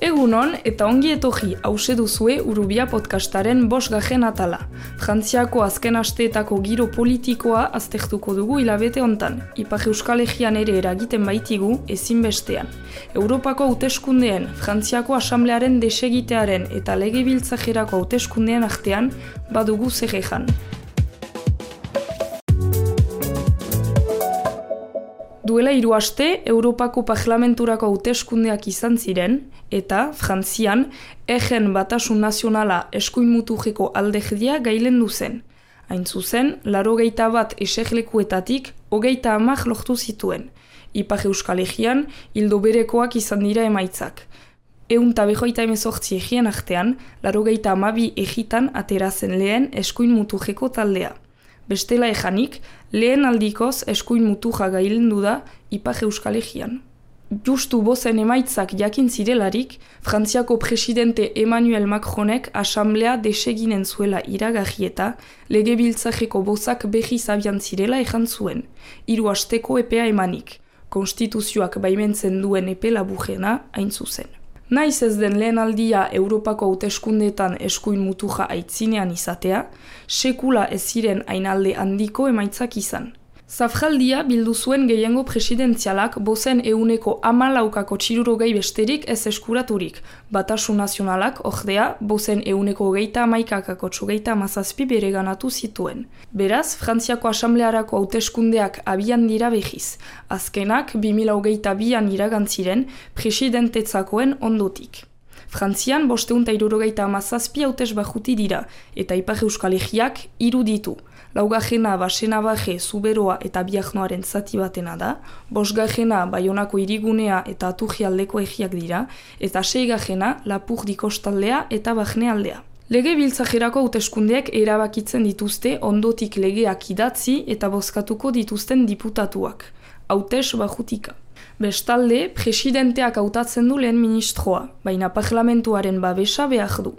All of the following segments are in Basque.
Egunon eta ongi etorri hause duzue Urubia podcastaren 5. atala. Frantziako azken asteetako giro politikoa aztertuko dugu hilabete hontan. Ipar Euskal Herrian ere eragiten baitigu ezinbestean. Europako hauteskundeen, Frantziako Asamblearen desegitearen eta legebiltzarrerako hauteskundeen artean badugu zer ejan. Duela 3 aste, Europako Parlamenturako hauteskundeak izan ziren, eta Frantzian, Egen Batasun Nazionala eskuin muturreko alderdia gailendu zen. Hain zuzen, 81 eserlekuetatik 30 lortu zituen. Ipar Euskal Herrian, ildo berekoak izan dira emaitzak. 158 egien artean, 82 egitan aterazen lehen eskuin muturreko taldea. Bestela ejanik, lehen aldikoz eskuin muturra gailendu da Ipar Euskal Herrian. Justu bozen emaitzak jakin zirelarik, Frantziako presidente Emmanuel Macronek asamblea deseginen zuela iragarri eta legebiltzarreko bozak berriz abian zirela ejan zuen, 3 asteko epea emanik, konstituzioak baimentzen duen epe laburrena hain zuzen. Naiz ez den lehen aldia Europako hauteskundeetan eskuin muturra aitzinean izatea, sekula ez ziren hainalde handiko emaitzak izan. Zafraldia bildu zuen gehiengo presidentzialak bozen 14%ko txirurogei besterik ez eskuraturik. Batasun nazionalak, ordea, bozen 21%ko 37 bereganatu zituen. Beraz, Frantziako Asamblearako hauteskundeak abian dira behiz. Azkenak 2022an iragantziren presidentetzakoen ondotik. Frantzian 577 hautesbajuti dira, eta Ipar Euskal Herriak 3 ditu. Laugarrena Basenabarre, Zuberoa eta Biarnoaren zati batena da, 5. Baionako hirigunea eta Aturrialdeko herriak dira, eta 6. Lapurdi kostaldea eta Barne aldea. Legebiltzarrerako hauteskundeak erabakitzen dituzte ondotik legeak idatzi eta bozkatuko dituzten diputatuak. Hautes bajutika. Bestalde, presidenteak hautatzen du lehen ministroa, baina parlamentuaren babesa behar du.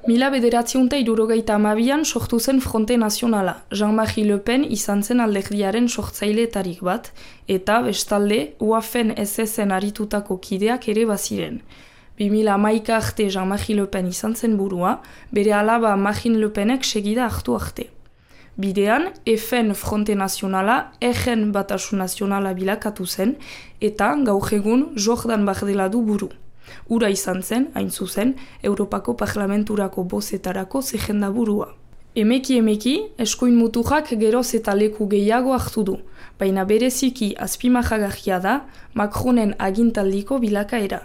1972an sortu zen Fronte Nazionala, Jean-Marie Le Pen izan zen alderdiaren sortzaileetarik bat, eta bestalde UAFen SS-en aritutako kideak ere baziren. 2011 arte Jean-Marie Le Pen izan zen burua, bere alaba Marine Le Penek segida hartu arte. Bidean, EFen Fronte Nazionala, Egen Batasun Nazionala bilakatu zen, eta gaur egun Jordan Bardella du buru. Ura izan zen, hain zuzen, Europako Parlamenturako bozetarako zerrenda burua. Emeki, eskuin muturrak geroz eta leku gehiago hartu du, baina bereziki azpimarragarria da Macronen agintaldiko bilakaera.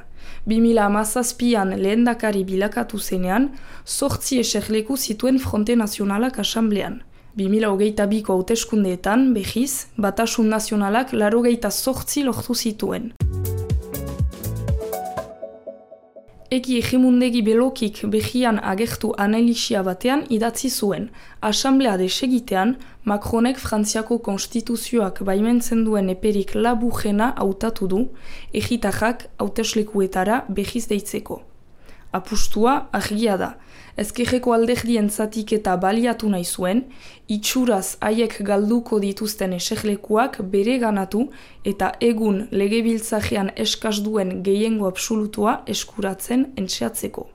2017an lehendakari bilakatu zenean, 8 eserleku zituen Fronte Nazionalak asamblean. 2022ko hauteskundeetan, behiz, Batasun Nazionalak 88 lortu zituen. Egi Egimundegi Belokik behian agertu analisia batean idatzi zuen. Asamblea desegitean, Macronek Frantziako konstituzioak baimentzen duen eperik laburrena hautatu du, egitarrak hauteslekuetara behiz deitzeko. Apustua argia da. Ezkerreko alderdien zatik eta baliatu nahi zuen, itxuraz haiek galduko dituzten eserlekuak bere ganatu eta egun legebiltzarrean eskaz duen gehiengo absolutua eskuratzen entxeatzeko.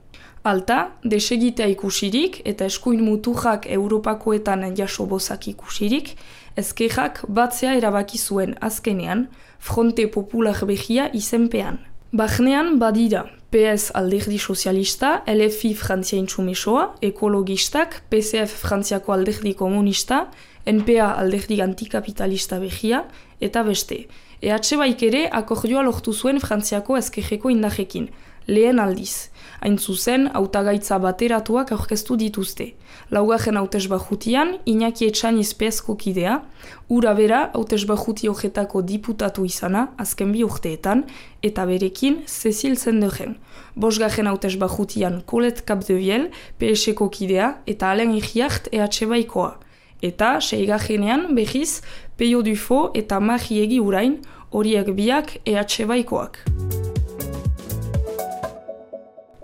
Alta, desegitea ikusirik eta eskuin muturrak Europakoetan jaso bozak ikusirik, ezkerrak batzea erabaki zuen azkenean, Fronte Popular behia izenpean. Barnean badira, PS alderdi sozialista, LFI Frantzia Intsumesoa, ekologistak, PCF Frantziako alderdi komunista, NPA alderdi antikapitalista behia, eta beste. EH baik ere akordioa lortu zuen Frantziako ezkerreko indarrekin, lehen aldiz. Hain zuzen, hautagaitza bateratuak aurkeztu dituzte. Laugarren hautesbajutian, Iñaki Etxaniz PSko kidea, ura bera hautesbajuti horretako diputatu izana, azken 2 urteetan, eta berekin Cecil Zenderen. 5. hautesbajutian Colette Capdevielle, PSko kidea, eta Alain Iriart EH baikoa. Eta, 6. behiz, Peio Dufo eta Marie Urain, horiek biak EH baikoak.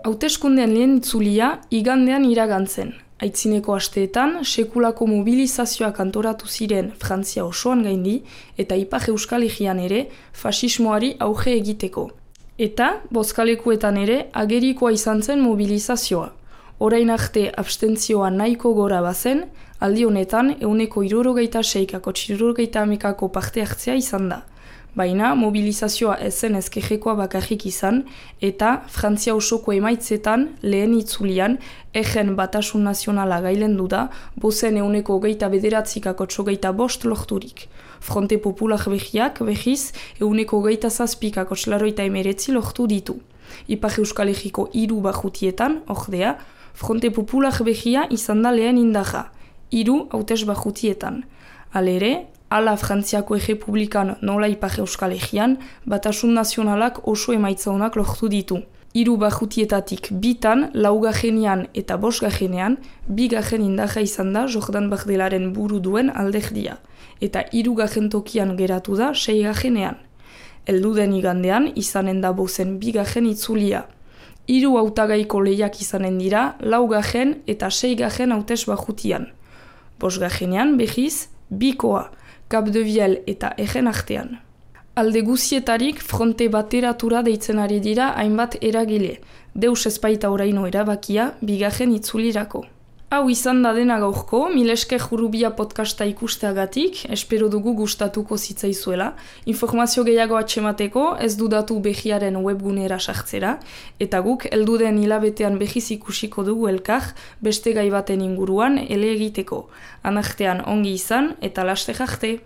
Hauteskundean lehen itzulia igandean iragantzen. Aitzineko asteetan, sekulako mobilizazioak antoratu ziren Frantzia osoan gaindi eta Ipar Euskal Herrian ere fasismoari auge egiteko. Eta, bozkalekuetan ere, agerikoa izan zen mobilizazioa. Orain arte abstentzioa nahiko gora bazen, aldi honetan 76,60% parte hartzea izan da. Baina mobilizazioa ezen ezkerrekoa bakarrik izan, eta Frantzia osoko emaitzetan lehen itzulian egen batasun nazionala gailendu da, bozen 29,9% lorturik. Fronte Popular behiak, behiz, 29,7% lortu ditu. Ipar Euskal Herriko 3 barrutietan, ordea, Fronte Popular behia izan da lehen indarra, 3 hautes barrutietan. Halere, ala Frantziako Errepublikan nola Ipar Euskal Herrian, batasun nazionalak oso emaitza honak lortu ditu. 3 barrutietatik 2tan, 4. eta 5. 2. indarra izan da Jordan Bardelaren buru duen alderdia, eta 3. tokian geratu da 6. Elduden igandean izanen da bozen 2. itzulia. 3 hautagaiko lehiak izanen dira 4. eta 6. hautes barrutian. 5. behiz, bikoa, Cap de Viel eta egen artean. Alde guzietarik fronte bateratura deitzen ari dira hainbat eragile, deus ezpaita oraino erabakia 2. itzulirako. Hau izan da dena gaurko, Milesker Jurubia podcasta ikusteagatik, espero dugu gustatuko zitzaizuela. Informazio gehiago atxemateko ez dudatu behiaren webgunera sartzera, eta guk helduden hilabetean behiz ikusiko dugu elkar beste gai baten inguruan ele egiteko. Anartean ongi izan eta laste jarte!